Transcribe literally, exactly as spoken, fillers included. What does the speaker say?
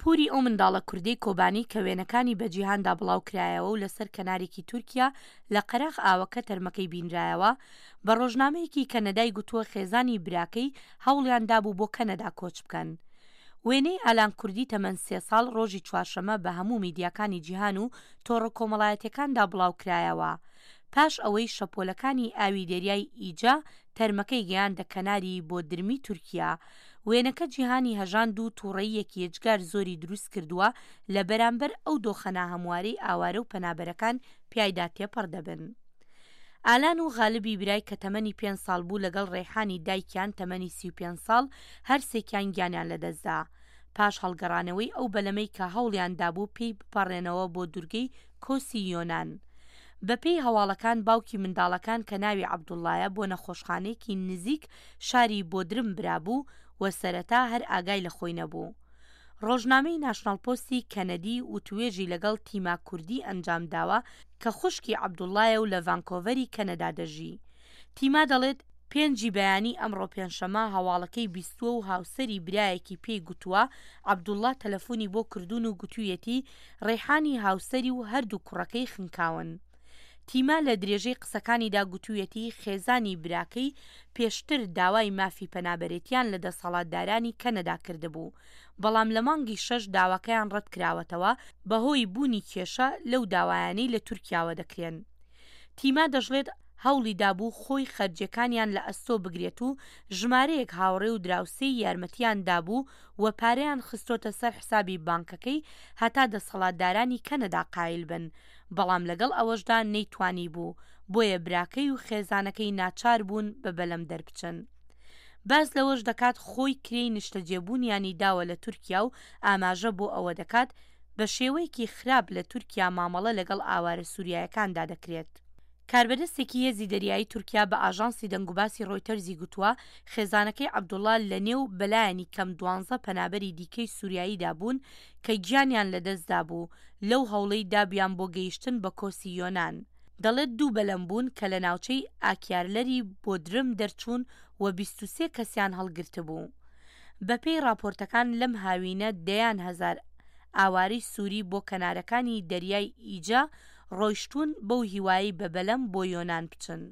پوری ئەو منداڵە کوردەی کۆبانی کە وێنەکانی بە جیهاندا بڵاوکرایەوە و لەسەر کەنارێکی تورکیا لە قەراغ ئاوەکە تەرمەکەی بینرایەوە، بە ڕۆژنامەیەکی کەنەدای گوتووە خێزانی براکەی هەوڵیان دابوو بۆ کەنەدا کۆچ بکەن. وێنەی ئالان کوردی تەمەن سێ ساڵ ڕۆژی چوارشەممە بە هەموو میدیاکانی جیهان و تۆڕە کۆمەڵایەتیەکاندا بڵاوکرایەوە پاش ئەوەی شەپۆلەکانی ئاوی دەریای ئیجە تەرمەکەی گەیاندە کەناری بۆدرمی تورکیا. وێنەکە جیهانی هەژاند و تووڕەییەکی یەجگار زۆری دروست کردووە لە بەرامبەر ئەو دۆخە ناهەموارەی ئاوارە و پەنابەرەکان پیایدا تێپەڕ دەبن. ئالان و غالبی برای کە تەمەنی پێنج ساڵ بوو لەگەڵ ڕێحانی دایکیان تەمەنی سی و پێنج ساڵ هەرسێکیان گیانیان لەدەستدا پاش هەڵگەڕانەوەی ئەو بەلەمەی کە هەوڵیان دابوو پێی بپەڕێنەوە بۆ دورگەی کۆسی یۆنان. بەپێی هەواڵەکان باوکی منداڵەکان کە ناوی عەبدوڵڵایە بۆ نەخۆشخانەیەکی نزیک شاری بۆدرم برابوو و سەرەتا هەر ئاگای لە خۆی نەبوو. ڕۆژنامەی ناشناڵ پۆستی کەنەدی وتوێژی لەگەڵ تیما کوردی ئەنجامداوە کە خوشکی عەبدوڵڵایە و لە ڤانکۆڤەری کەنەدا دەژی. تیما دەڵێت، پێنجی بەیانی ئەمڕۆ پێنجشەممە هەواڵەکەی بیستووە و هاوسەری برایەکی پێی گوتووە عەبدوڵڵا تەلەفۆنی بۆ کردوون و گوتوویەتی ڕێحانی هاوسەری و هەردوو کوڕەکەی خنکاون. تیما لە درێژەی قسەکانیدا گوتوویەتی خێزانی براکەی پێشتر داوای مافی پەنابەرێتیان لە دەسەڵاتدارانی کەنەدا کردبوو، بەڵام لە مانگی شەش داواکەیان ڕەتکراوەتەوە بەهۆی بوونی کێشە لەو داوایانەی لە تورکیاوە دەکرێن. تیما دەشڵێت هەوڵی دابوو خۆی خەرجیەکانیان لە ئەستۆ بگرێت و ژمارەیەک هاوڕێ و دراوسێی یارمەتیان دابوو و پارەیان خستۆتە سەر حسابی بانکەکەی هەتا دەسەڵاتدارانی کەنەدا قایل بن، بەڵام لەگەڵ ئەوەشدا نەیتوانیبوو، بۆیە براکەی و خێزانەکەی ناچار بوون بە بەلەم دەربچن. باس لەوەش دەکات خۆی کرێی نیشتەجێبوونیانی داوە لە تورکیا و ئاماژە بۆ ئەوە دەکات بە شێوەیەکی خراپ لە تورکیا مامەڵە لەگەڵ ئاوارە سوریایەکاندا دەکرێت. کاربەدەستێکی هێزی دەریایی تورکیا بە ئاژانسی دەنگوباسی ڕۆیتەرزی گوتووە خێزانەکەی عەبدوڵڵا لە نێو بەلایەنی کەم دوانزە پەنابەری دیکەی سوریاییدا بوون کە گیانیان لەدەستدابوو لەو هەوڵەی دابیان بۆ گەیشتن بە کۆسی یۆنان. دەڵێت دوو بەلەم بوون کە لە ناوچەی ئاکیارلەری بۆدرم دەرچوون و بیست و سێ کەسیان هەڵگرتبوو. بەپێی ڕاپۆرتەکان لەم هاوینە دەیان هەزار ئاوارەی سوری بۆ کەنارەکانی دەریای ئیجە ڕۆیشتوون بەو هیوایەی بە بەلەم بۆ یۆنان بچن.